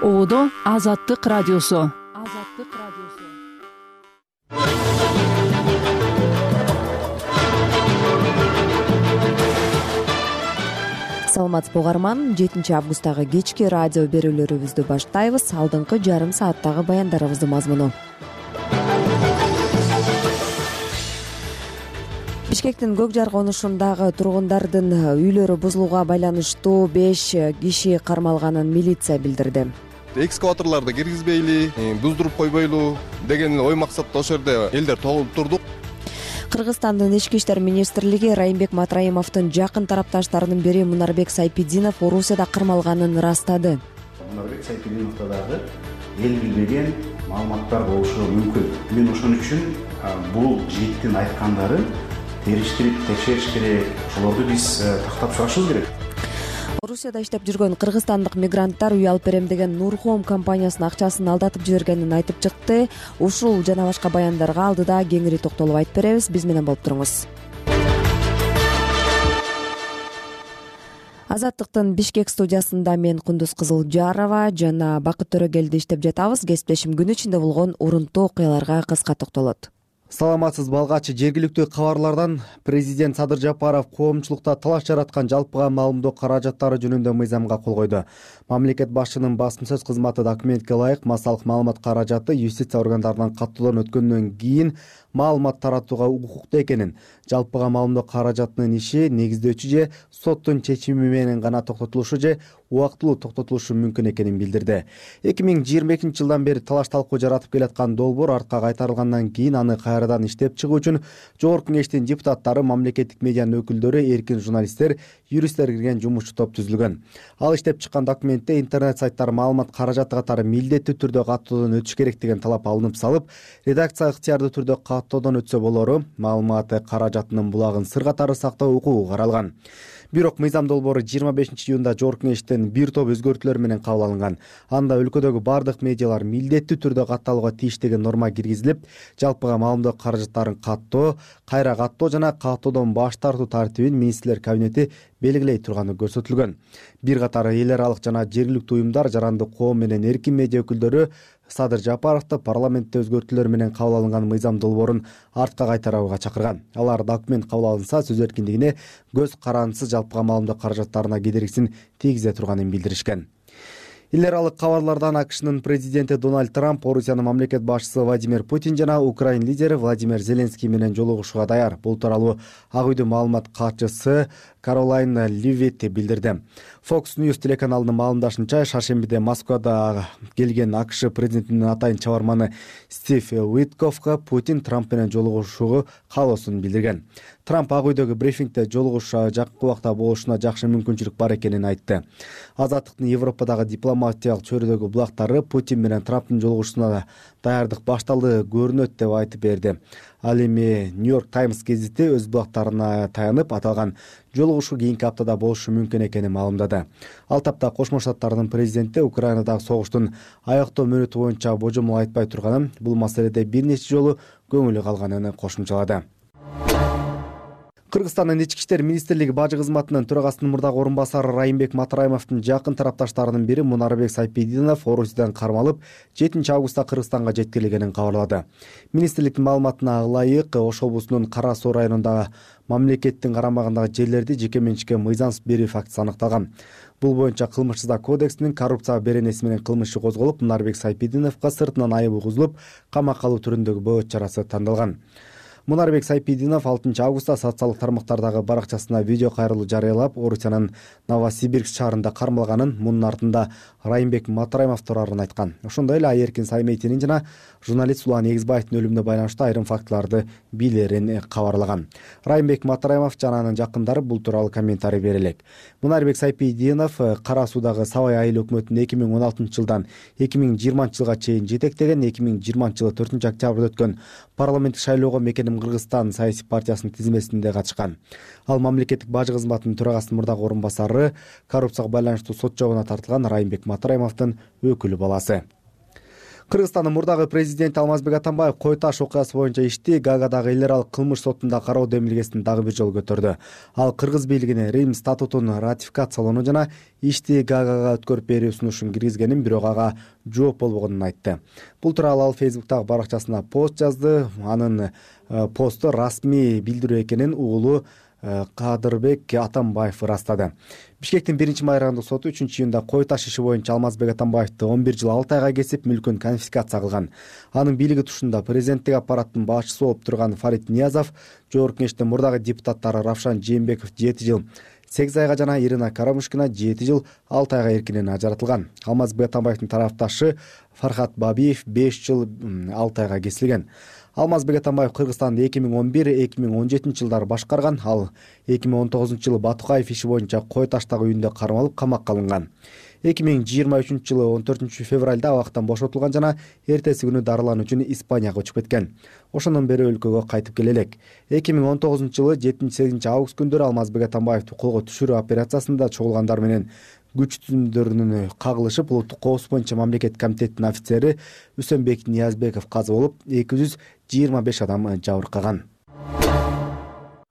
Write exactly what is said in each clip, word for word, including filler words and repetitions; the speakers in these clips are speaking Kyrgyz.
Оодо Азаттык радиосу. Азаттык радиосу. Саламатсызбы угарман, жетинчи августтагы кечки радио берүүлөрүбүздү баштайбыз. Алдыңкы жарым сааттагы баяндарыбыздын мазмуну. Бишкектин Көк Жар конушундагы тургундардын үйлөрү бузулууга байланыштуу беш киши кармалганын милиция билдирди. Экскаваторларды киргизбейли, буздуруп койбойлу деген ой максатта ошол жерде элдер тогулуп турдук. Кыргызстандын Ички иштер министрлиги Райымбек Матраимовдун жакын тарапташтарынын бири Мунарбек Сайпидинов Орусияда кармалганын ырастады. Мунарбек Сайпидиновдо дагы эл билбеген маалыматтар болушу мүмкүн. Мен ошон үчүн бул жигиттин айткандарын териштирип текшериш керек. Ошолорду биз тактап чыгышыбыз керек. Орусияда иштеп жүргөн кыргызстандык мигранттар үй алып берем деген Нурхом компаниясынын акчасын алдатып жибергенин айтып чыкты. Ушул жана башка баяндарга алдыда кеңири токтолуп айтып беребиз. Биз менен болуп туруңуз. Азаттыктын Бишкек студиясында мен Кундуз Кызылжарова жана Бакыт Төрөгелди иштеп жатабыз. Кесиптешим күн ичинде болгон урунттуу окуяларга кыска токтолот. Саламатсызбы алгачы жергиликтүү кабарлардан президент Садыр Жапаров коомчулукта талаш жараткан жалпыга маалымдоо каражаттары жөнүндө мыйзамга кол койду. Мамлекет башчынын басым сөз кызматы документке ылайык массалык маалымат каражаты юстиция органдарынан каттоодон өткөндөн кийин маалымат таратууга укуктуу экенин, жалпыга маалымдоо каражатынын иши негиздөөчү же соттун чечими менен гана токтотулушу же убактылуу токтотулушу мүмкүн экенин билдирди. эки миң жыйырма экинчи жылдан бери талаш талкуу жаратып келаткан долбоор артка кайтарылгандан кийин аны кайрадан иштеп чыгуу үчүн Жогорку Кеңештин депутаттары, мамлекеттик медианын өкүлдөрү, эркин журналисттер, юристтер кирген жумушчу топ түзүлгөн. Ал иштеп чыккан документте интернет сайттар маалымат каражаты катары милдеттүү түрдө каттоодон өтүш керек деген талап алынып салып, редакция ыктыярдуу түрдө каттоодон өтсө болору, маалымат каражатынын булагын сыр катары сактоо укугу каралган. Бирок мыйзам долбоору жыйырма бешинчи июнда Жогорку Кеңештен бир топ өзгөртүүлөр менен кабыл алынган. Анда өлкөдөгү бардык медиалар милдеттүү түрдө катталууга тийиш деген норма киргизилип, жалпыга маалымдоо каражаттарын каттоо, кайра каттоо жана каттоодон баш тартуу тартибин министрлер кабинети белгилей турганы көрсөтүлгөн. Бир катар эл аралык жана жергиликтүү уюмдар, жарандык коом менен эркин медиа өкүлдөрү Садыр Жапаровду парламентте өзгөртүүлөр менен кабыл алынган мыйзам долбоорун артка кайтарууга чакырган. Алар документ кабыл алынса сөз эркиндигине көз карандысыз жалпыга маалымдоо каражаттарына кедергисин тийгизе турганын билдиришкен. Эл аралык кабарлардан АКШнын президенти Дональд Трамп Орусиянын мамлекет башчысы Владимир Путин жана Украин лидери Владимир Зеленский менен жолугушууга даяр. Бул тууралуу Ак үйдүн маалымат катчысы Каролайн Ливит билдирди. Fox News телеканалынын маалымдашынча, шаршембиде Москвада келген АКШ президентинин атайын чабарманы Стив Уиткоффко Путин Трамп менен жолугушууга каалоосун билдирген. Трамп Ак үйдөгү брифингде жолугуш жакын убакта болушуна жакшы мүмкүнчүлүк бар экенин айтты. Азаттыктын Европадагы дипломатиялык чөйрөдөгү булактары Путин менен Трамптын жолугушууна даярдык башталды көрүнөт деп айтып берди. Ал эми Нью-Йорк Таймс гезити өз булактарына таянып аталган жолугушуу кийинки аптада болушу мүмкүн экенин маалымдады. Ал тапта Кошмо Штаттардын президенти Украинадагы согуштун аяктоо мөөнөтү боюнча божомол айтпай турганын, бул маселеде бир нече жолу көңүлү калганын кошумчалады. Кыргызстандын Ички иштер министрлиги бажы кызматынын төрагасынын мурдагы орун басары Райымбек Матраимовдун жакын тарапташтарынын бири Мунарбек Сайпидинов Орусиядан кармалып, жетинчи августта Кыргызстанга жеткирилгенин кабарлады. Министрликтин маалыматына ылайык, Ош облусунун Кара Суу районундагы мамлекеттин карамагындагы жерлерди жеке менчикке мыйзамсыз берүү фактысы аныкталган. Бул боюнча кылмыш кодексинин коррупция беренеси менен кылмыш иши козголуп, Мунарбек Сайпидиновго сыртынан айып угузулуп, камакка алуу түрүндөгү бөгөт чарасы тандалган. Мунарбек Сайпидинов алтынчы августта социалдык тармактардагы баракчасына видео кайрылуу жарыялап, Орусиянын Новосибирск шаарында кармалганын, мунун артында Райымбек Матраимов турарын айткан. Ошондой эле Айеркин Сайметинин жана журналист Улан Эгизбаевдин өлүмүнө байланыштуу айрым фактыларды билерин кабарлаган. Райымбек Матраимов жана анын жакындары бул тууралуу комментарий бере элек. Мунарбек Сайпидинов Кара Суудагы Сабай айыл өкмөтүн эки миң он алтынчы жылдан эки миң жыйырманчы жылга чейин жетектеген, эки миң жыйырманчы жылы төртүнчү октябрда өткөн парламенттик шайлоого Мекеним Кыргызстан саясий партиясынын тизмесинде катышкан. Ал мамлекеттик бажы кызматынын төрагасынын мурдагы орун басары, коррупцияга байланыштуу сот жообуна тартылган Райымбек Матраимовдун өкүлү баласы. Кыргызстандын мурдагы президенти Алмазбек Атамбаев Кой Таш окуясы боюнча ишти Гаагадагы эл аралык кылмыш сотунда кароо демилгесин дагы бир жолу көтөрдү. Ал кыргыз бийлигине Рим статутун ратификациялоону жана ишти Гаагага өткөрүп берүү сунушун киргизгенин, бирок ага жооп болбогонун айтты. Бул тууралуу ал Фейсбуктагы баракчасына пост жазды. Анын посту расмий билдирүү экенин уулу Кадырбек Атамбаев ырастады. Бишкектин биринчи майрандык соту үчүнчү июнда Кой Таш иши боюнча Алмазбек Атамбаевди он бир жыл алты айга кесип, мүлкүн конфискация кылган. Анын бийлиги тушунда президенттик аппараттын башчысы болуп турган Фарид Ниязов, Жогорку Кеңештин мурдагы депутаттары Равшан Жээнбеков жети жыл сегиз айга жана Ирина Карамушкина жети жыл алты айга эркинен ажыратылган. Алмазбек Атамбаевдин тарапташы Фархат Бабиев беш жыл алты айга кесилген. Алмазбек Атамбаев Кыргызстанды эки миң он бир эки миң он жетинчи жылдары башкарган. Ал эки миң он тогузунчу жылы Батукаев иши боюнча Кой Таштагы үйүндө кармалып, камакка алынган. эки миң жыйырма үчүнчү жылы он төртүнчү февралда абактан бошотулган жана эртеси күнү дарылануу үчүн Испанияга учуп кеткен. Ошондон бери өлкөгө кайтып келе элек. эки миң он тогузунчу жылы жетинчи сегизинчи август күндөрү Алмазбек Атамбаевди колго түшүрүү операциясында чогулгандар менен күч түзүмдөрүнүн кагылышып, улуттук коопсуздук боюнча мамлекеттик комитеттин офицери Үсөнбек Ниязбеков каза болуп, эки жүз жыйырма беш адам жабыркаган.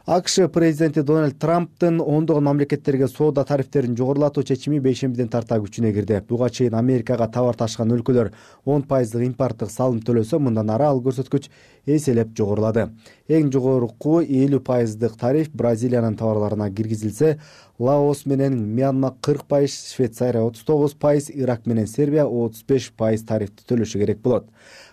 АКШ президенти Дональд Трамптын ондогон мамлекеттерге соода тарифтерин жогорулатуу чечими бейшембиден тарта күчүнө кирди. Буга чейин Америкага товар ташыган өлкөлөр он пайыздык импорттук салым төлөсө, мындан ары ал көрсөткүч эселеп жогорулады. Эң жогорку элүү пайыздык тариф Бразилиянын товарларына киргизилсе, Лаос менен Мьянма кырк пайыз, Швейцария отуз тогуз пайыз, Ирак менен Сербия отуз беш пайыз тарифти төлөшү керек болот.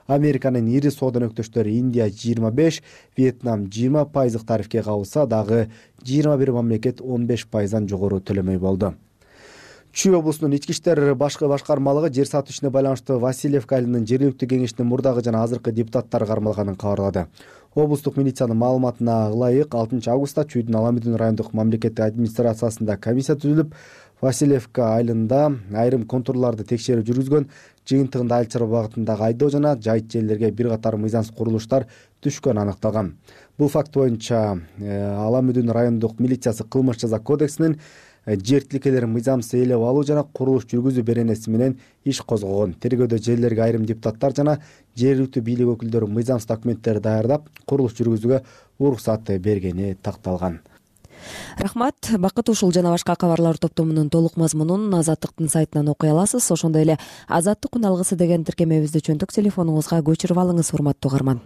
Американын ири соода өнөктөштөрү Индия жыйырма беш, Вьетнам жыйырма пайыздык тарифке кабылса, дагы жыйырма бир мамлекет он беш пайыздан жогору төлөмөй болду. Чүй облусунун ички иштер башкы башкармалыгы жер сатуу ишине байланыштуу Васильевка айылынын жергиликтүү кеңешинин мурдагы жана азыркы депутаттары кармалганын кабарлады. Облустук милициянын маалыматына ылайык алтынчы августта Чүйдүн Аламүдүн райондук мамлекеттик администрациясында комиссия түзүлүп, Васильевка айылында айрым контурларды текшерүү жүргүзгөн, жыйынтыгында Айыл чарба багытындагы айдоо жана жайыт жерлерге бир катар мыйзамсыз курулуштар түшкөнү аныкталган. Бул факт боюнча Аламүдүн райондук милициясы кылмыш жаза кодексинин жер тилкелерин мыйзамсыз ээлеп алуу жана курулуш жүргүзүү беренеси менен иш козгогон. Тергөөдө жерлерге айрым депутаттар жана жергиликтүү бийлик өкүлдөрү мыйзамсыз документтерди даярдап, курулуш жүргүзүүгө уруксат бергени такталган. Рахмат. Бакыт, ушул жана башка кабарлар топтомунун толук мазмунун Азаттыктын сайтынан окуй аласыз. Ошондой эле Азаттык күн алгысы деген тиркемебизди чөнтөк телефонуңузга көчүрүп алыңыз, урматтуу угарман.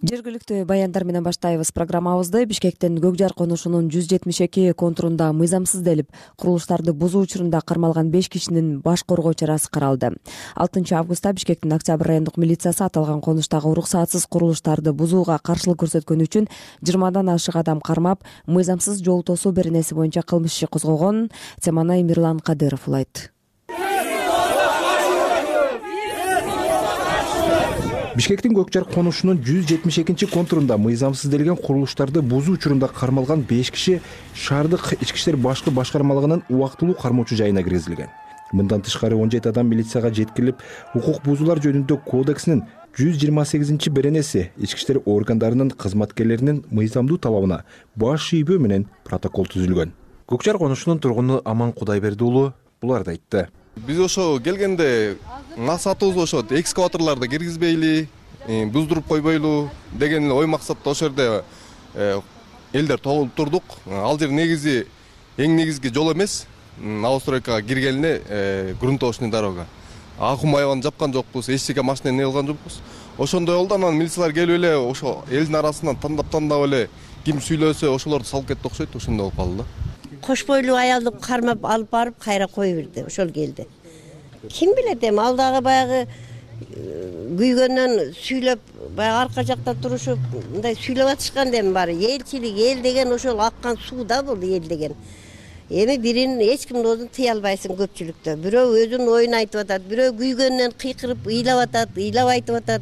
Жергиликтүү баяндар менен баштайбыз программабызды. Бишкектин Көк Жар конушунун жүз жетимиш эки контурунда мыйзамсыз делип курулуштарды бузуу учурунда кармалган беш кишинин баш коргоо чарасы каралды. алтынчы августта Бишкектин Октябрь райондук милициясы аталган конуштагы уруксатсыз курулуштарды бузууга каршылык көрсөткөнү үчүн жыйырмадан ашык адам кармап, мыйзамсыз жол тосуу беренеси боюнча кылмыш иши козгогон. Теманы Мирлан Кадыров улайт. Бишкектин Көк Жар конушунун жүз жетимиш экинчи контурунда мыйзамсыз делген курулуштарды бузуу учурунда кармалган беш киши шаардык ички иштер башкы башкармалыгынын убактылуу кармоочу жайына киргизилген. Мындан тышкары он жети адам милицияга жеткирилип, укук бузуулар жөнүндө кодексинин жүз жыйырма сегизинчи беренеси ички иштер органдарынын кызматкерлеринин мыйзамдуу талабына баш ийбөө менен протокол түзүлгөн. Көк Жар конушунун тургуну Аман Кудайберди уулу буларды айтты. Биз ошо келгенде максатыбыз ошо экскаваторлорду киргизбейли, буздуруп койбойлу деген ой максатта ошол жерде элдер тогулуп турдук. Ал жер негизи эң негизги жол эмес, новостройкага киргенине грунтовочный дорога. Акым аябан жапкан жокпуз, эч жерге машина эне кылган жокпуз. Ошондой болду, анан милициялар келип эле ошо элдин арасынан тандап-тандап эле ким сүйлөсө ошолорду салып кетти окшойт, ошондой болуп калды. Кош бойлуу аялды кармап алып барып кайра кое берди, ошол келди. Ким билет эми, ал дагы баягы күйгөндөн сүйлөп, баягы арка жакта турушуп, мындай сүйлөп атышкан дем баары. Элчилик, эл деген ошол аккан суу да бул эл деген. Эми бирин эч кимдин оозун тыя албайсың көпчүлүктө. Бирөө өзүнүн оюн айтып атат, бирөө күйгөндөн кыйкырып ыйлап атат, ыйлап айтып атат.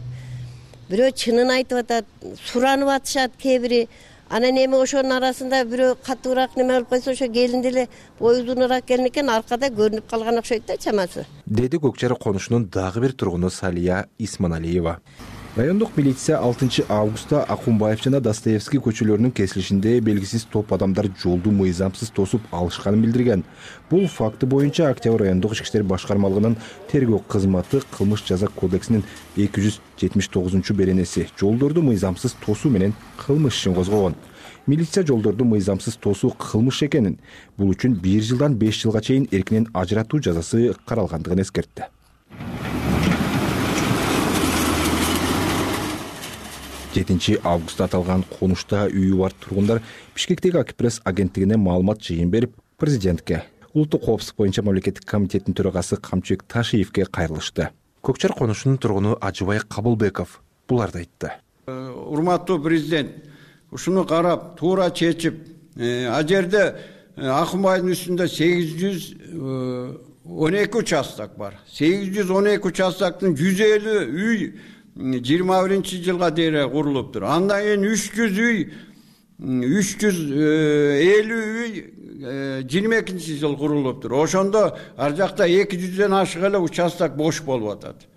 Бирөө чынын айтып атат, суранып атышат кээ бири. Анан эми ошонун арасында бирөө катуураак неме алып койсо, ошо келин деле бою узунураак келин экен, аркада көрүнүп калган окшойт да чамасы. Деди Көк Жар конушунун дагы бир тургуну Салия Исманалиева. Райондук милиция алтынчы августта Акунбаев жана Достоевский көчөлөрүнүн кесилишинде белгисиз топ адамдар жолду мыйзамсыз тосуп алышканын билдирген. Бул факты боюнча Октябрь райондук ички иштер башкармалыгынын тергөө кызматы кылмыш жаза кодексинин эки жүз жетимиш тогузунчу беренеси жолдорду мыйзамсыз тосуу менен кылмыш ишин козгогон. Милиция жолдорду мыйзамсыз тосуу кылмыш экенин, бул үчүн бир жылдан беш жылга чейин эркинен ажыратуу жазасы каралгандыгын эскертти. жетинчи августта аталган конушта үйү бар тургундар Бишкектеги Акпресс агенттигине маалымат жыйын берип, президентке, улуттук коопсуздук боюнча мамлекеттик комитеттин төрагасы Камчыбек Ташиевке кайрылышты. Көкчар конушунун тургуну Ажыбай Кабылбеков буларды айтты. Урматтуу президент, ушуну карап, туура чечип, а жерде Акунбайдын үстүндө сегиз жүз он эки участок бар. сегиз жүз он эки участоктун жүз элүү үй жыйырма биринчи жылга дейре курулуптур. Андан кийин үч жүз үй, үч жүз элүү үй жыйырма экинчи жыл курулуптур. Ошондо ар жакта эки жүздөн ашык эле участок бош болуп атат.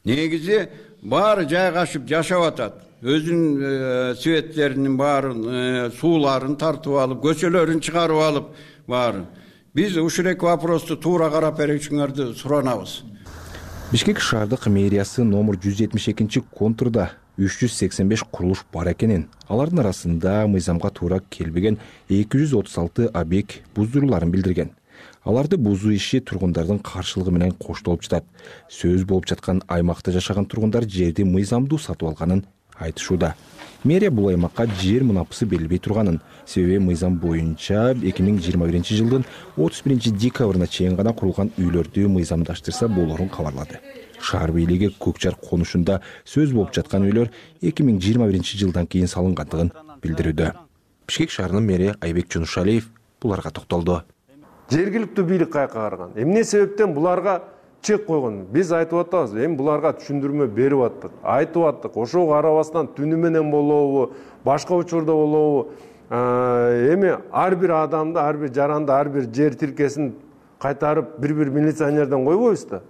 Негизи баары жайгашып жашап атат. Өзүнүн светтеринин баарын, сууларын тартып алып, көчөлөрүн чыгарып алып баарын. Биз ушул эки вопросту туура карап берүүчүңөрдү суранабыз. Бишкек шаардык мэриясы номер жүз жетимиш экинчи контурда үч жүз сексен беш курулуш бар экенин, алардын арасында мыйзамга туура келбеген эки жүз отуз алты объект буздурууларын билдирген. Аларды бузуу иши тургундардын каршылыгы менен коштолуп жатат. Сөз болуп жаткан аймакта жашаган тургундар жерди мыйзамдуу сатып алганын айтышууда. Мэрия бул аймакка жер мунапысы берилбей турганын, себеби мыйзам боюнча эки миң жыйырма биринчи жылдын отуз биринчи декабрына чейин гана курулган үйлөрдү мыйзамдаштырса болорун кабарлады. Шаар бийлиги Көкчар конушунда сөз болуп жаткан үйлөр эки миң жыйырма биринчи жылдан кийин салынгандыгын билдирүүдө. Бишкек шаарынын мэри Айбек Жунушалиев буларга токтолду. Жергиликтүү бийлик кайка караган. Эмне себептен буларга чек койгон? Биз айтып атабыз, эми буларга түшүндүрмө берип аттык, айтып аттык. Ошого карабастан түнү менен болобу, башка учурда болобу, эми ар бир адамды, ар бир жаранды, ар бир жер тилкесин кайтарып бир-бир милиционерден койбойбуз да.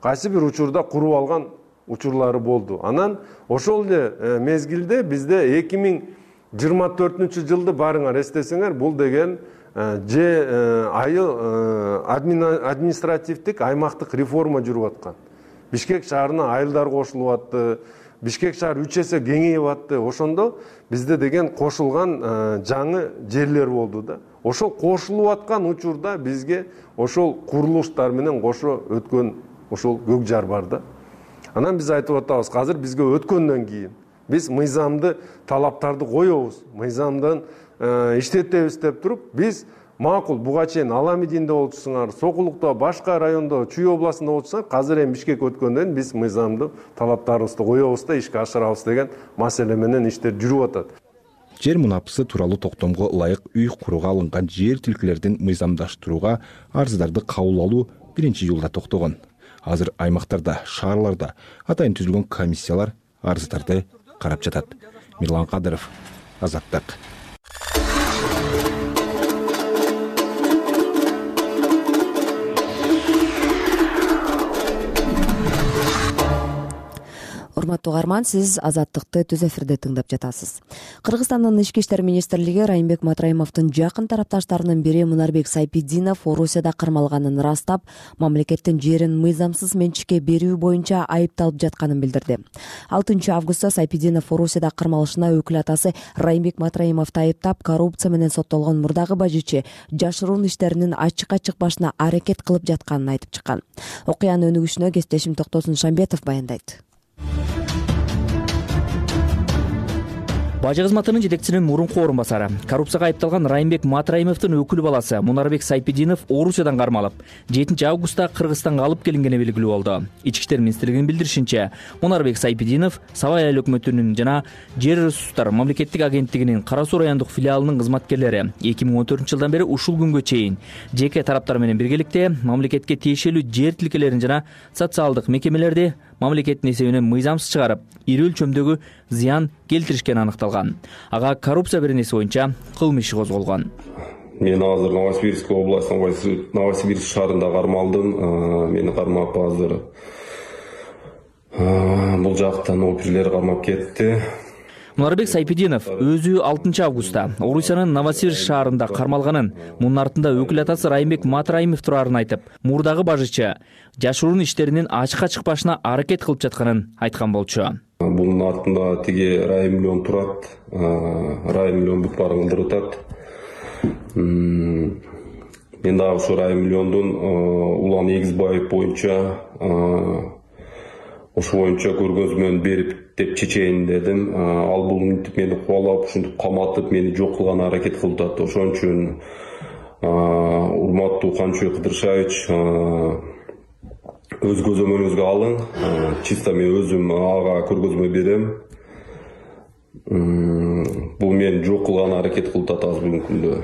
Кайсы бир учурда куруп алган учурлары болду. Анан ошол эле мезгилде бизде эки миң жыйырма төртүнчү жылды барыңар эстесеңер, бул деген же айыл административдик аймактык реформа жүрүп аткан. Бишкек шаарына айылдар кошулуп атты, Бишкек шаар үч эсе кеңейип атты. Ошондо бизде деген кошулган жаңы жерлер болду да. Ошол кошулуп аткан учурда бизге ошол курулуштар менен кошо өткөн ошол көк жар бар да. Анан биз айтып атабыз, азыр бизге өткөндөн кийин биз мыйзамды талаптарды коебуз, мыйзамдан иштетебиз деп туруп, биз макул буга чейин Аламидинде болчусуңар, Сокулукта, башка райондо, Чүй областында болчусуңар, азыр эми Бишкек өткөндөн биз мыйзамды талаптарыбызды коебуз да ишке ашырабыз деген маселе менен иштер жүрүп атат. Жер мунапысы тууралуу токтомго ылайык үй курууга алынган жер тилкелердин мыйзамдаштырууга арыздарды кабыл алуу биринчи июлда токтогон. Азыр аймактарда, шаарларда атайын түзүлгөн комиссиялар арыздарды карап жатат. Мирлан Кадыров, Азаттык. Урматтуу угарман, сиз Азаттыкты түз эфирде тыңдап жатасыз. Кыргызстандын ички иштер министрлиги Райымбек Матраимовдун жакын тарапташтарынын бири Мунарбек Сайпидинов Орусияда кармалганын ырастап, мамлекеттин жерин мыйзамсыз менчикке берүү боюнча айыпталып жатканын билдирди. алтынчы августта Сайпидинов Орусияда кармалышына өкүл атасы Райымбек Матраимовду айыптап, коррупция менен соттолгон мурдагы бажычы жашыруун иштеринин ачыкка чыкпашына аракет кылып жатканын айтып чыккан. Окуянын өнүгүшүнө кесиптешим Токтосун Шамбетов баяндайт. Бажы кызматынын жетекчисинин мурунку орун басары, коррупцияга айыпталган Райымбек Матраимовдун өкүл баласы Мунарбек Сайпидинов Орусиядан кармалып, жетинчи августта Кыргызстанга алып келингени белгилүү болду. Ички иштер министрлигинин билдиришинче, Мунарбек Сайпидинов Сабай айыл өкмөтүнүн жана Жер ресурстар мамлекеттик агенттигинин Кара Суу райондук филиалынын кызматкерлери эки миң он төртүнчү жылдан бери ушул күнгө чейин жеке тараптар менен биргеликте мамлекетке тиешелүү жер тилкелерин жана социалдык мекемелерди мамлекеттин эсебинен мыйзамсыз чыгарып, ири өлчөмдөгү зыян келтиришкени аныкталган. Ага коррупция беренеси боюнча кылмыш иши козголгон. Мен азыр Новосибирск областынын Новосибирск шаарында кармалдым. Мени кармап азыр Бул жактан оперлер кармап кетти. Мунарбек Сайпидинов өзү алтынчы августта Орусиянын Новосибирск шаарында кармалганын, мунун артында өкүл атасы Райымбек Матраимов турарын айтып, мурдагы бажычы жашыруун иштеринин ачыкка чыкпашына аракет кылып жатканын айткан болчу. Бунун артында тиги Райым миллион турат, Райым миллион бүт баарын кылдырып атат. Мен дагы ушу Райым миллиондун Улан Эгизбаев боюнча ошо боюнча көргөзмө менен берип деп чечейин дедим. Ал бул мынтип мени кубалап, ушинтип каматып, мени жок кылган аракет кылып атат. Ошон үчүн урматтуу Канчыбек Кыдыршевич, өз көзөмөлүңүзгө алың. Чисто мен өзүм ага көргөзмө берем. Бул мени жок кылган аракет кылып атат азыр бүгүнкү күндө.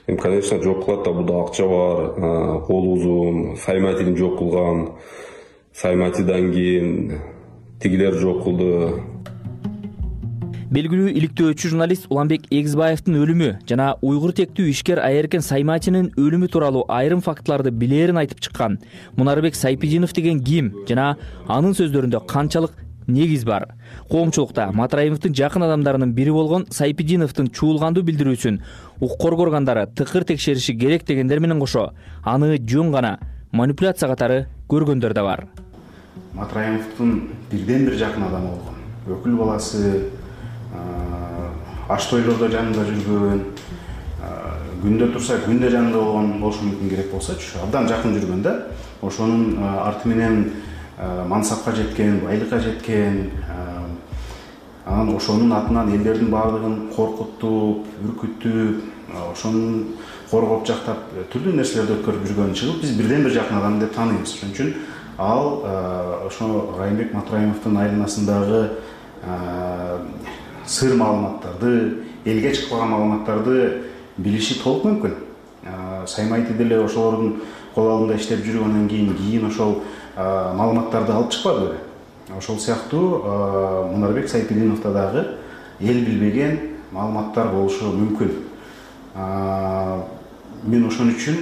Эми, конечно, жок кылат да, бул акча бар, кол узун, Сайматин жок кылган. Сайматидан кийин тигилер жок кылды. Белгилүү иликтөөчү журналист Уланбек Эгизбаевдин өлүмү жана уйгур тектүү ишкер Айеркен Сайматинин өлүмү тууралуу айрым фактыларды билерин айтып чыккан Мунарбек Сайпидинов деген ким жана анын сөздөрүндө канчалык негиз бар? Коомчулукта Матраимовдун жакын адамдарынын бири болгон Сайпидиновдун чуулгандуу билдирүүсүн укук коргооргандары тыкыр текшериши керек дегендер менен кошо, аны жөн гана манипуляция катары көргөндөр да бар. Матраимовдун бирден бир жакын адамы болгон, өкүл баласы, аш тойлордо жанында жүргөн, күндө турса күндө жанында болгон болушу мүмкүн, керек болсочу, абдан жакын жүргөн да. Ошонун арты менен мансапка жеткен, байлыкка жеткен, анан ошонун атынан элдердин баардыгын коркутуп, үркүтүп, ошонун коргоп жактап түрлүү нерселерди өткөрүп жүргөнүн чыгып, биз бирден бир жакын адам деп тааныйбыз. Ошон үчүн ал ошо Райымбек Матраимовдун айланасындагы сыр маалыматтарды, элге чыкпаган маалыматтарды билиши толук мүмкүн. Саймайти деле ошолордун кол алдында иштеп жүргөндөн кийин кийин ошол маалыматтарды алып чыкпады беле. Ошол сыяктуу Мунарбек Сайпидиновдо дагы эл билбеген маалыматтар болушу мүмкүн. Мен ошон үчүн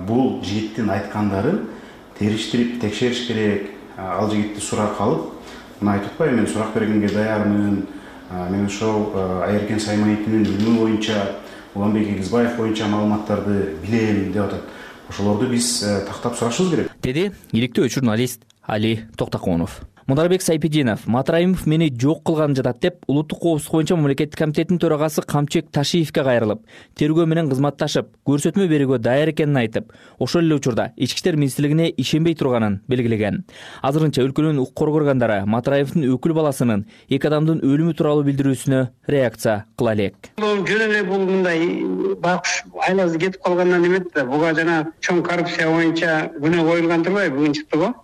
бул жигиттин айткандарын териштирип текшериш керек. Ал жигитти суракка алып, мына айтып атпайбы, мен сурак бергенге даярмын. Мен ошол Айеркен Саймайтинин өлүмү боюнча, Уланбек Эгизбаев боюнча маалыматтарды билем деп атат. Ошолорду биз тактап сурашыбыз керек, деди иликтөөчү журналист Али Токтоконов. Мунарбек Сайпидинов Матраимов мени жок кылган жатат деп улуттук коопсуздук боюнча мамлекеттик комитеттин төрагасы Камчыбек Ташиевке кайрылып, тергөө менен кызматташып, көрсөтмө берүүгө даяр экенин айтып, ошол эле учурда ички иштер министрлигине ишенбей турганын белгилеген. Азырынча өлкөнүн укук коргоо органдары Матраимовдун өкүл баласынын эки адамдын өлүмү тууралуу билдирүүсүнө реакция кыла элек. Жөн эле бул мындай бакыш айласы кетип калгандан эмет да, буга жана чоң коррупция боюнча күнөө коюлган турбайбы, бүгүн чыкты го.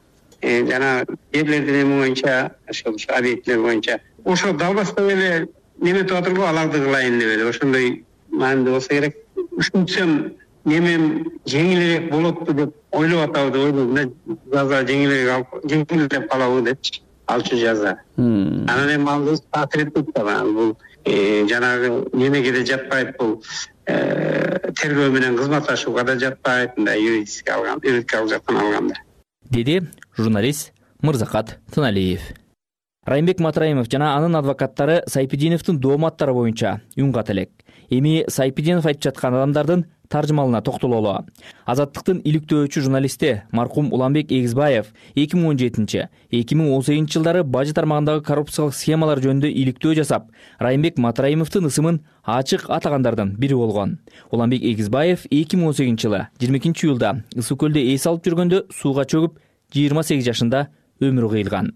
Жана жерлердин эми боюнча, ошол объекттер боюнча ошо далбастап эле неметип атыр го, аларды кылайын деп эле ошондой маанилүү болсо керек. Ушинтсем немем жеңилирээк болот деп ойлоп атабы деп ойлойм да, жаза жеңилирээк жеңилдеп калабы депчи, алчу жаза. Анан эми ал таасир да, бул жанагы немеге да жатпайт, бул тергөө менен кызматташууга да жатпайт, мындай юридически алган, юридикалык жактан алганда, деди журналист Мырзакат Тыналиев. Райымбек Матраимов жана анын адвокаттары Сайпидиновдун дооматтары боюнча үн ката элек. Эми Сайпидинов айтып жаткан адамдардын таржымалына токтололу. Азаттыктын иликтөөчү журналисти маркум Уланбек Эгизбаев эки миң он жетинчи — эки миң он сегизинчи жылдары бажы тармагындагы коррупциялык схемалар жөнүндө иликтөө жасап, Райымбек Матраимовдун ысымын ачык атагандардын бири болгон. Уланбек Эгизбаев эки миң он сегизинчи жылы жыйырма экинчи июлда Ысык көлдө эс алып жүргөндө сууга чөгүп, жыйырма сегиз жашында өмүрү кыйылган.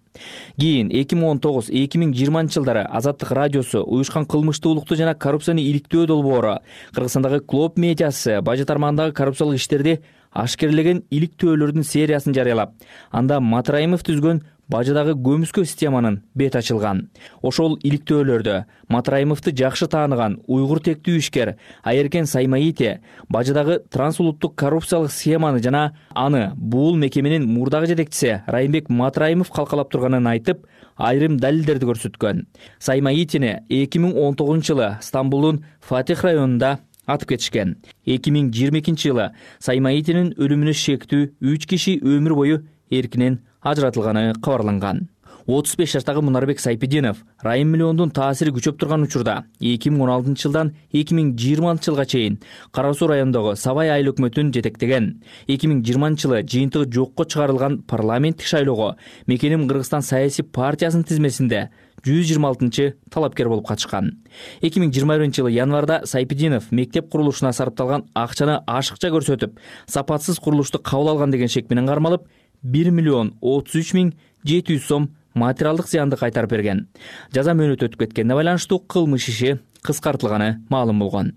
Кийин эки миң он тогуз — эки миң жыйырманчы жылдары Азаттык радиосу уюшкан кылмыштуулукту жана коррупцияны иликтөө долбоору, Кыргызстандагы Клоп медиасы бажы тармагындагы коррупциялык иштерди ашкерлеген иликтөөлөрдүн сериясын жарыялап, анда Матраимов түзгөн бажыдагы көмүскө системанын бет ачылган. Ошол иликтөөлөрдө Матраимовду жакшы тааныган уйгур тектүү ишкер Айеркен Саймаити бажыдагы трансулуттук коррупциялык схеманы жана аны бул мекеменин мурдагы жетекчиси Райымбек Матраимов калкалап турганын айтып, айрым далилдерди көрсөткөн. Саймаитини эки миң он тогузунчу жылы Стамбулдун Фатих районунда атып кетишкен. эки миң жыйырма экинчи жылы Саймаитинин өлүмүнө шектүү үч киши өмүр бою эркинен ажыратылганы кабарланган. отуз беш жаштагы Мунарбек Сайпидинов Райым миллиондун таасири күчөп турган учурда эки миң он алтынчы жылдан эки миң жыйырманчы жылга чейин Кара Суу районундагы Сабай айыл өкмөтүн жетектеген. эки миң жыйырманчы жылы жыйынтыгы жокко чыгарылган парламенттик шайлоого Мекеним Кыргызстан саясий партиясынын тизмесинде жүз жыйырма алтынчы талапкер болуп катышкан. эки миң жыйырма биринчи жылы январда Сайпидинов мектеп курулушуна сарпталган акчаны ашыкча көрсөтүп, сапатсыз курулушту кабыл алган деген шек менен кармалып, бир миллион отуз үч миң жети жүз сом материалдык зыянды кайтарып берген. Жаза мөөнөтү өтүп кеткенине байланыштуу кылмыш иши кыскартылганы маалым болгон.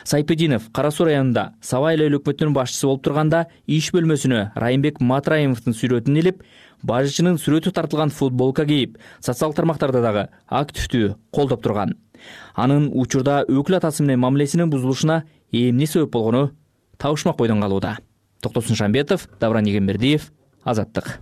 Сайпидинов Кара Суу районунда Сабай айыл өкмөтүнүн башчысы болуп турганда иш бөлмөсүнө Райымбек Матраимовдун сүрөтүн илип, бажычынын сүрөтү тартылган футболка кийип, социалдык тармактарда дагы активдүү колдоп турган. Анын учурда өкүл атасы менен мамилесинин бузулушуна эмне себеп болгону табышмак бойдон калууда. Токтосун Шамбетов, Давран Егембердиев, Азаттык.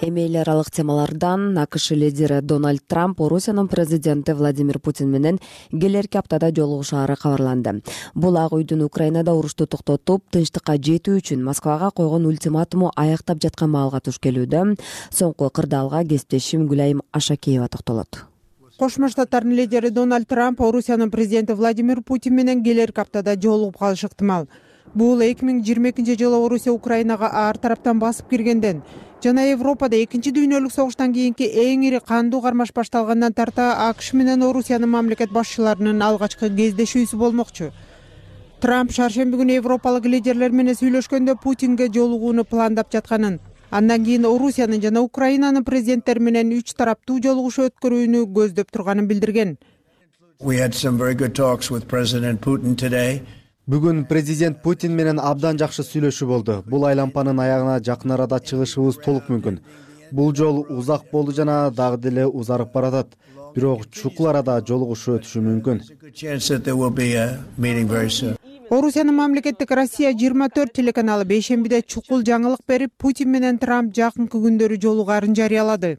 Эми эл аралык темалардан АКШ лидери Дональд Трамп Орусиянын президенти Владимир Путин менен келерки аптада жолугушаары кабарланды. Бул Ак үйдүн Украинада урушту токтотуп, тынчтыкка жетүү үчүн Москвага койгон ультиматуму аяктап жаткан маалга туш келүүдө. Соңку кырдаалга кесиптешим Гүлайым Ашакеева токтолот. Кошмо Штаттардын лидери Дональд Трамп Орусиянын президенти Владимир Путин менен келерки аптада жолугуп калышы ыктымал. Бул эки миң жыйырма экинчи жылы Орусия Украинага ар тараптан басып киргенден жана Европада экинчи дүйнөлүк согуштан кийинки эң ири кандуу кармаш башталгандан тарта АКШ менен Орусиянын мамлекет башчыларынын алгачкы кездешүүсү болмокчу. Трамп шаршемби күнү европалык лидерлер менен сүйлөшкөндө Путинге жолугууну пландап жатканын, андан кийин Орусиянын жана Украинанын президенттери менен үч тараптуу жолугушуу өткөрүүнү көздөп турганын билдирген. Бүгүн президент Путин менен абдан жакшы сүйлөшүү болду. Бул айлампанын аягына жакын арада чыгышыбыз толук мүмкүн. Бул жол узак болду жана дагы деле узарып баратат. Бирок чукул арада жолугушуу өтүшү мүмкүн. Орусиянын мамлекеттик Россия жыйырма төрт телеканалы бейшембиде чукул жаңылык берип, Путин менен Трамп жакынкы күндөрү жолугаарын жарыялады.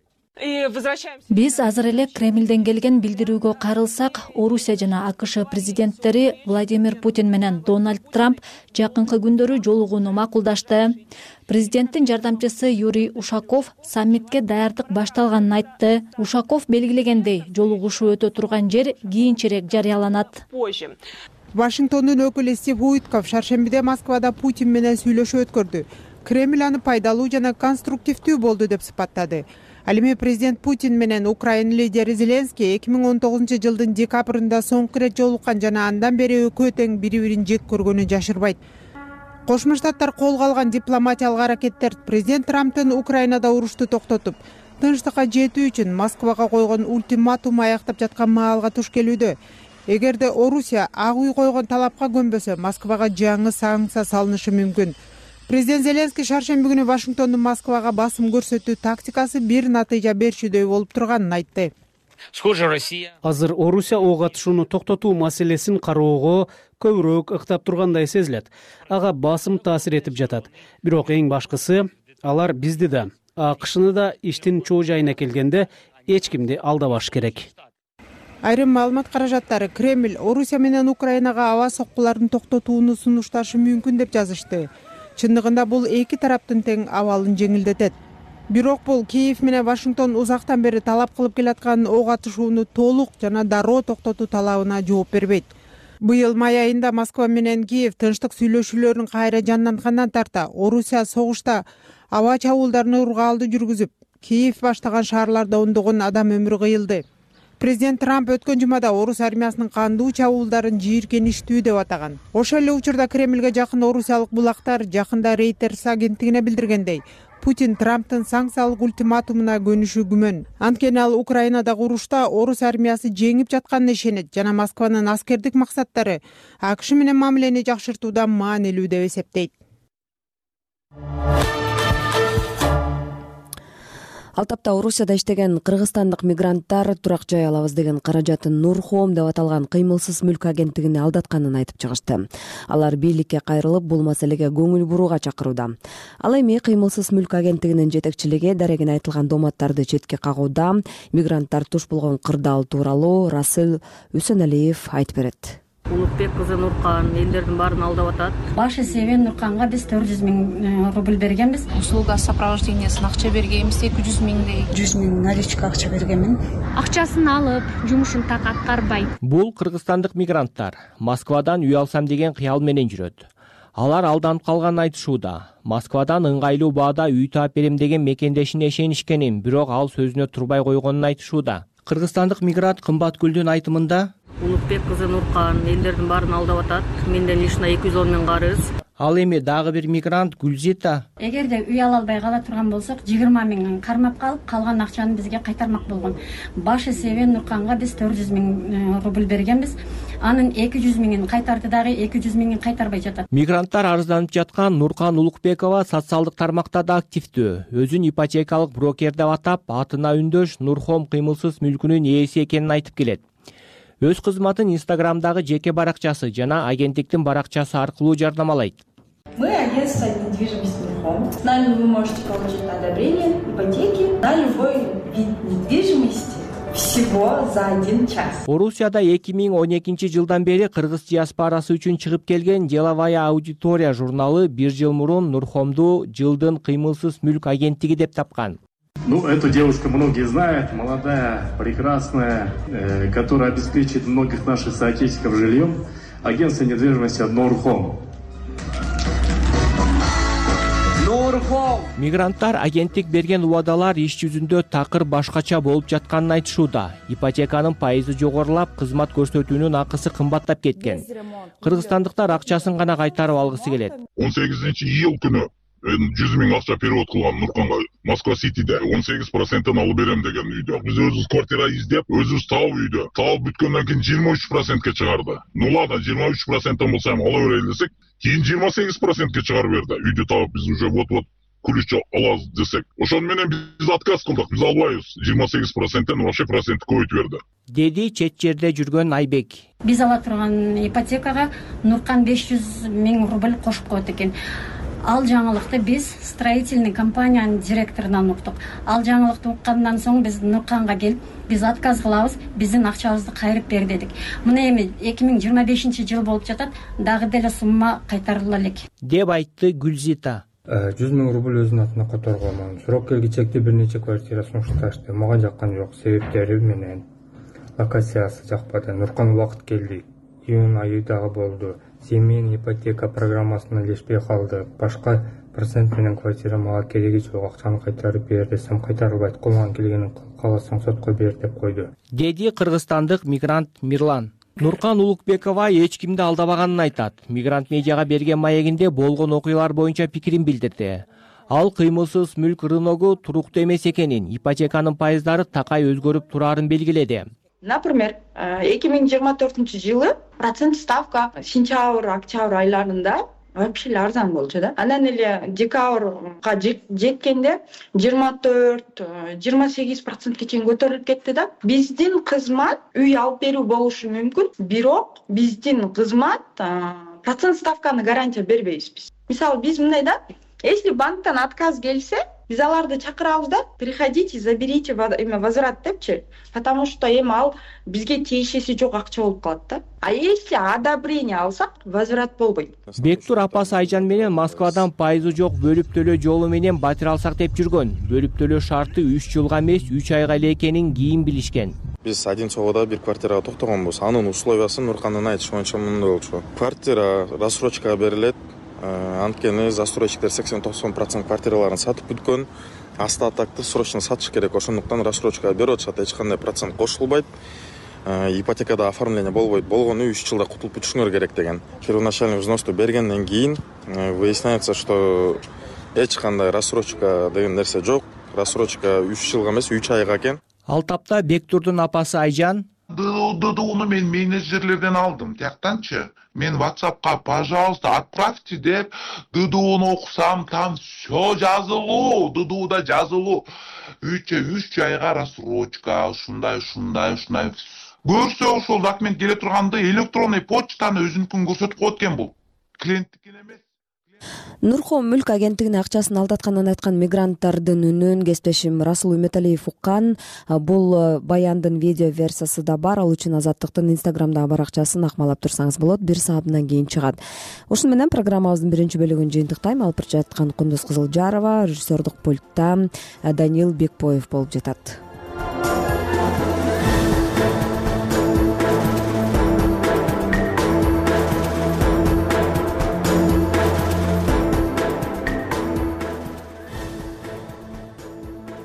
Биз азыр эле Кремлден келген билдирүүгө кайрылсак, Орусия жана АКШ президенттери Владимир Путин менен Дональд Трамп жакынкы күндөрү жолугууну макулдашты. Президенттин жардамчысы Юрий Ушаков саммитке даярдык башталганын айтты. Ушаков белгилегендей, жолугушуу өтө турган жер кийинчерээк жарыяланат. Вашингтондун өкүлү Стив Уитков шаршембиде Москвада Путин менен сүйлөшүү өткөрдү. Кремль аны пайдалуу жана конструктивдүү болду деп сыпаттады. Ал эми президент Путин менен Украина лидери Зеленский эки миң он тогузунчу жылдын декабрында соңку ирет жолуккан жана андан бери экөө тең бири-бирин жек көргөнү жашырбайт. Кошмо Штаттар колго алган дипломатиялык аракеттер президент Трамптын Украинада урушту токтотуп, тынчтыкка жетүү үчүн Москвага койгон ультиматум аяктап жаткан маалга туш келүүдө. Эгерде Орусия Ак үй койгон талапка көнбөсө, Москвага жаңы санкция салынышы мүмкүн. Президент Зеленский шаршемби күнү Вашингтондун Москвага басым көрсөтүү тактикасы бир натыйжа берчүдөй болуп турганын айтты. Азыр Орусия ого атышууну токтотуу маселесин кароого көбүрөөк ыктап тургандай сезилет. Ага басым таасир этип жатат. Бирок эң башкысы, алар бизди да, АКШны да иштин чоо жайына келгенде эч кимди алдабаш керек. Айрым маалымат каражаттары Кремль Орусия менен Украинага аба соккуларын токтотууну сунушташы мүмкүн деп жазышты. Чындыгында бул эки тараптын тең абалын жеңилдетет. Бирок бул Киев менен Вашингтон узактан бери талап кылып келаткан ок атышууну толук жана дароо токтотуу талабына жооп бербейт. Быйыл май айында Москва менен Киев тынчтык сүйлөшүүлөрүн кайра жандантгандан тарта Орусия согушта аба чабуулдарын ургаалды жүргүзүп, Киев баштаган шаарларда ондогон адам өмүрү кыйылды. Президент Трамп өткөн жумада Орус армиясынын кандуу чабуулдарын жийиркеничтүү деп атаган. Ошол эле учурда Кремлге жакын орусиялык булактар жакында Reuters агенттигине билдиргендей, Путин Трамптын санкциялык ультиматумуна көнүшү күмөн. Анткени ал Украинадагы урушта Орус армиясы жеңип жатканына ишенет жана Москванын аскердик максаттары АКШ менен мамилени жакшыртууда маанилүү деп эсептейт. Ал тапта Орусияда иштеген кыргызстандык мигранттар турак жай алабыз деген каражатын Нурхом деп аталган кыймылсыз мүлк агенттигине алдатканын айтып чыгышты. Алар бийликке кайрылып, бул маселеге көңүл бурууга чакырууда. Ал эми кыймылсыз мүлк агенттигинин жетекчилиги дарегине айтылган дооматтарды четке кагууда. Мигранттар туш болгон кырдаал тууралуу Расыл Үсөналиев айтып берет. Улукбек кызы Нуркан элдердин баарын алдап атат. Баш эсеби Нурканга биз төрт жүз миң рубль бергенбиз. Услуга сопровождениесин акча бергенбиз эки жүз миңдей. жүз миң наличка акча бергенмин. Акчасын алып, жумушун так аткарбайт. Бул кыргызстандык мигранттар Москвадан үй алсам деген кыял менен жүрөт. Алар алданып калганын айтышууда. Москвадан ыңгайлуу баада үй таап берем деген мекендешине ишенишкенин, бирок ал сөзүнө турбай койгонун айтышууда. Кыргызстандык мигрант Кымбаткүлдүн айтымында Улукбек кызы Нуркан элдердин баарын алдап атат. Менден лишна эки жүз он миң карыз. Ал эми дагы бир мигрант Гүлзита. Эгерде үй ала албай кала турган болсок, жыйырма миң кармап калып, калган акчаны бизге кайтармак болгон. Баш эсеби Нурканга биз төрт жүз миң рубль бергенбиз. Анын эки жүз миңин кайтарды дагы эки жүз миңин кайтарбай жатат. Мигранттар арызданып жаткан Нуркан Улукбекова социалдык тармакта да активдүү. Өзүн ипотекалык брокер деп атап, атына үндөш Нурхом кыймылсыз мүлкүнүн ээси экенин айтып келет. Өз кызматын Инстаграмдагы жеке баракчасы жана агенттиктин баракчасы аркылуу жарнамалайт. Мы агентство недвижимости Нурхом. С нами вы можете получить одобрение ипотеки на любой вид недвижимости всего за один час. Орусияда эки миң он экинчи жылдан бери кыргыз диаспорасы үчүн чыгып келген Деловая аудитория журналы бир жыл мурун Нурхомду жылдын кыймылсыз мүлк агенттиги деп тапкан. Ну, эту девушку многие знают, молодая, прекрасная, э, которая обеспечит многих наших соотечественников жильем. Агентство недвижимости Нурхом. Нурхом. Мигранттар агенттик берген убадалар иш жүзүндө такыр башкача болуп жатканын айтышууда. Ипотеканын пайызы жогорулап, кызмат көрсөтүүнүн акысы кымбаттап кеткен. Кыргызстандыктар акчасын гана кайтарып алгысы келет. он сегизинчи iyul күнү жүз миң акча перевод кылган Нурканга Москва Ситиде он сегиз проценттен алып берем деген үйдө. Биз өзүбүз квартира издеп, өзүбүз таап үйдө. Таап бүткөндөн кийин жыйырма үч процентке чыгарды. Ну ладно, жыйырма үч проценттен болсо эми ала берели десек, кийин жыйырма сегиз процентке чыгарып берди. Үйдү таап биз уже вот-вот күлүчө алабыз десек. Ошону менен биз отказ кылдык. Биз албайбыз. жыйырма сегиз проценттен вообще процентти көбөйтүп берди. Деди чет жерде жүргөн Айбек. Биз ала турган ипотекага Нуркан беш жүз миң рубль кошуп коет экен. Ал жаңылыкты биз строительный компаниянын директорунан уктук. Ал жаңылыкты уккандан соң биз Нурканга келип, биз отказ кылабыз, биздин акчабызды кайрып бер дедик. Мына эми эки миң жыйырма бешинчи жыл болуп жатат, дагы деле сумма кайтарыла элек. Деп айтты Гүлзита. жүз миң рубль өзүнүн атына которгон. Срок келгичекте бир нече квартира сунушташты. Мага жаккан жок, себептери менен локациясы жакпады. Нуркан убакыт келди. Июнь айы дагы болду. Семейный ипотека программасына илешпей калды. Башка процент менен квартира мага кереги жок, акчаны кайтарып бер десем кайтарылбайт. Колуңан келгенин каласаң сотко бер деп койду. Деди кыргызстандык мигрант Мирлан. Нуркан Улукбекова эч кимди алдабаганын айтат. Мигрант медиага берген маегинде болгон окуялар боюнча пикирин билдирди. Ал кыймылсыз мүлк рыногу туруктуу эмес экенин, ипотеканын пайыздары такай өзгөрүп турарын белгиледи. Например, эки миң жыйырма төртүнчү жылы процент ставка сентябрь, октябрь айларында вообще эле арзан болчу да. Анан эле декабрга жеткенде жыйырма төрт, жыйырма сегиз процентке чейин көтөрүлүп кетти да. Биздин кызмат үй алып берүү болушу мүмкүн, бирок биздин кызмат процент ставканы гарантия бербейбиз биз. Мисалы биз мындай да, если банктан отказ келсе, биз аларды чакырабыз да, приходите, заберите эме возврат депчи, потому что эми ал бизге тиешеси жок акча болуп калат да. А если одобрение алсак, возврат болбойт. Бектур апасы Айжан менен Москвадан пайызы жок бөлүп төлөө жолу менен батир алсак деп жүргөн. Бөлүп төлөө шарты үч жылга эмес, үч айга эле экенин кийин билишкен. Биз Одинцоводо бир квартирага токтогонбуз. Анын условиясын Нуркандын айтышы боюнча мындай болчу. Квартира рассрочкага берилет. Анткени застройщиктер сексен токсон процент квартираларын сатып бүткөн. Остатокты срочно сатыш керек. Ошондуктан рассрочкага берип атышат, эч кандай процент кошулбайт. Ипотекада оформление болбойт. Болгону үч жылда кутулуп бүтүшүңөр керек деген. Первоначальный взносту бергенден кийин выясняется, что эч кандай рассрочка деген нерсе жок. Рассрочка үч жылга эмес, үч айга экен. Ал тапта Бектурдун апасы Айжан ДДУну мен менеджерлерден алдым. Тияктанчы мен WhatsApp'ка пожалуйста отправьте деп ДДУну окусам, там все жазылуу, ДДУда жазылуу. үч үч айга рассрочка, ушундай, ушундай, ушундай. Көрсө ошол документ келе турганды электронный почтаны өзүнүкүн көрсөтүп коет экен бул. Клиенттикин эмес. Нурхом мүлк агенттигине акчасын алдатканын айткан мигранттардын үнүн кесиптешим Расул Үмөталиев уккан. Бул баяндын видео версиясы да бар. Ал үчүн Азаттыктын инстаграмдагы баракчасын акмалап турсаңыз болот. Бир саатынан кийин чыгат. Ушуну менен программабыздын биринчи бөлүгүн жыйынтыктайм. Алып жаткан Кундуз Кызылжарова, режиссердук пультта Данил Бекбоев болуп жатат.